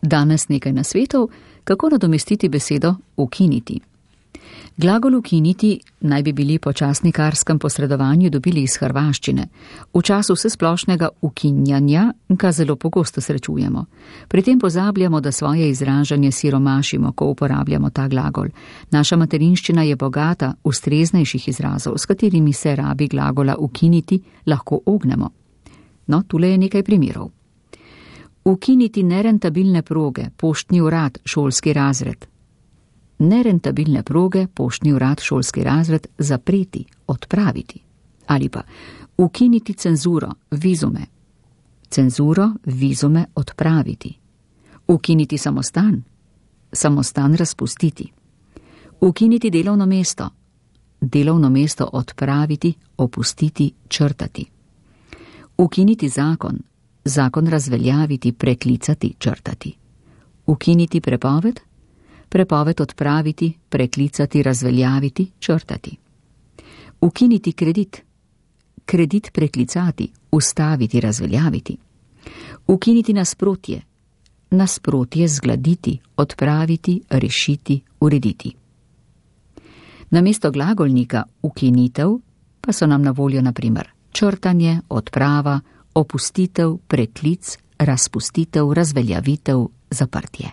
Danes nekaj nasvetov, kako nadomestiti besedo ukiniti. Glagol ukiniti naj bi bili po časnikarskem posredovanju dobili iz hrvaščine. V času vsesplošnega ukinjanja ga zelo pogosto srečujemo. Pri tem pozabljamo, da svoje izražanje siromašimo, ko uporabljamo ta glagol. Naša materinščina je bogata ustreznejših izrazov, s katerimi se rabi glagola ukiniti lahko ognemo. No, tule je nekaj primerov. Ukiniti nerentabilne proge, poštni urad, šolski razred. Nerentabilne proge, poštni urad, šolski razred, zapreti, odpraviti. Ali pa ukiniti cenzuro, vizume. Cenzuro, vizume odpraviti. Ukiniti samostan, samostan razpustiti. Ukiniti delovno mesto odpraviti, opustiti, črtati. Ukiniti zakon, zakon razveljaviti, preklicati, črtati. Ukiniti prepoved, prepoved odpraviti, preklicati, razveljaviti, črtati. Ukiniti kredit, kredit preklicati, ustaviti, razveljaviti. Ukiniti nasprotje, nasprotje zgladiti, odpraviti, rešiti, urediti. Namesto glagolnika ukinitev pa so nam na voljo na primer črtanje, odprava, opustitev, preklic, razpustitev, razveljavitev, zaprtje.